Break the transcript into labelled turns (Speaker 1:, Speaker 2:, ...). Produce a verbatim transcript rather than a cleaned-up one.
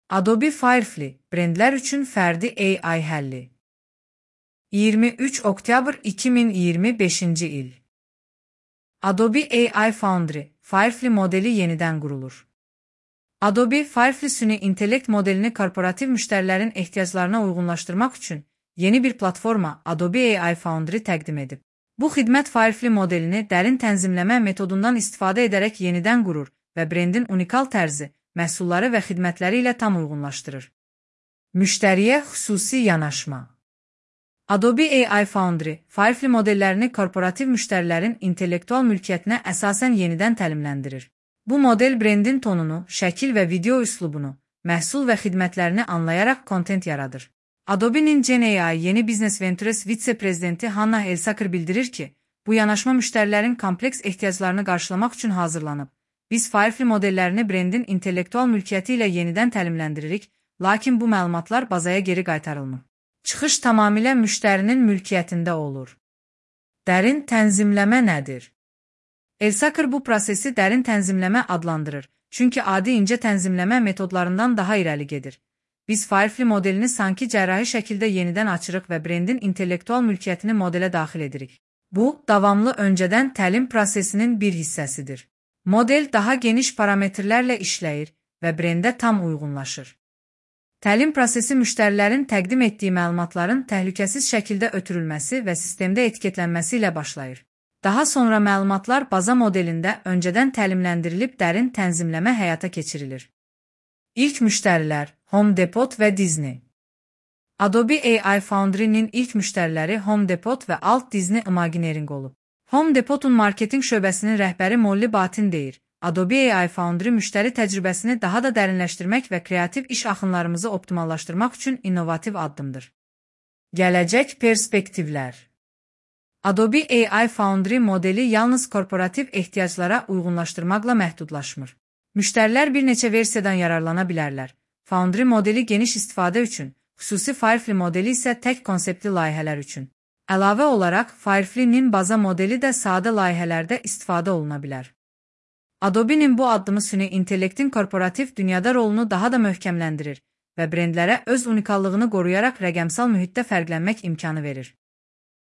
Speaker 1: Adobe Firefly, brendlər üçün fərdi A I həlli. iyirmi üç oktyabr iki min iyirmi beşinci il. Adobe A I Foundry, Firefly modeli yenidən qurulur. Adobe Firefly süni intellekt modelini korporativ müştərilərin ehtiyaclarına uyğunlaşdırmaq üçün yeni bir platforma Adobe A I Foundry təqdim edib. Bu xidmət Firefly modelini dərin tənzimləmə metodundan istifadə edərək yenidən qurur və brendin unikal tərzi, məhsulları və xidmətləri ilə tam uyğunlaşdırır. Müştəriyə xüsusi yanaşma. Adobe A I Foundry, Firefly modellərini korporativ müştərilərin intellektual mülkiyyətinə əsasən yenidən təlimləndirir. Bu model brendin tonunu, şəkil və video üslubunu, məhsul və xidmətlərini anlayaraq kontent yaradır. Adobe'nin Gen A I Yeni Business Ventures vitse-prezidenti Hannah Elsaker bildirir ki, bu yanaşma müştərilərin kompleks ehtiyaclarını qarşılamaq üçün hazırlanıb. Biz Firefly modellərini brendin intellektual mülkiyyəti ilə yenidən təlimləndiririk, lakin bu məlumatlar bazaya geri qaytarılmır. Çıxış tamamilə müştərinin mülkiyyətində olur. Dərin tənzimləmə nədir? Elsaker bu prosesi dərin tənzimləmə adlandırır, çünki adi incə tənzimləmə metodlarından daha irəli gedir. Biz Firefly modelini sanki cərrahi şəkildə yenidən açırıq və brendin intellektual mülkiyyətini modelə daxil edirik. Bu, davamlı öncədən təlim prosesinin bir hissəsidir. Model daha geniş parametrlərlə işləyir və brendə tam uyğunlaşır. Təlim prosesi müştərilərin təqdim etdiyi məlumatların təhlükəsiz şəkildə ötürülməsi və sistemdə etiketlənməsi ilə başlayır. Daha sonra məlumatlar baza modelində öncədən təlimləndirilib dərin tənzimləmə həyata keçirilir. İlk müştərilər Home Depot və Disney. Adobe A I Foundry'nin ilk müştəriləri Home Depot və Alt Disney Imagineering olub. Home Depot'un marketing şöbəsinin rəhbəri Molly Batin deyir, Adobe A I Foundry müştəri təcrübəsini daha da dərinləşdirmək və kreativ iş axınlarımızı optimallaşdırmaq üçün innovativ addımdır. Gələcək perspektivlər. Adobe A I Foundry modeli yalnız korporativ ehtiyaclara uyğunlaşdırmaqla məhdudlaşmır. Müştərilər bir neçə versiyadan yararlana bilərlər. Foundry modeli geniş istifadə üçün, xüsusi Firefly modeli isə tək konseptli layihələr üçün. Əlavə olaraq, Firefly-nin baza modeli də sadə layihələrdə istifadə oluna bilər. Adobe'nin bu addımı süni intellektin korporativ dünyada rolunu daha da möhkəmləndirir və brendlərə öz unikallığını qoruyaraq rəqəmsal mühitdə fərqlənmək imkanı verir.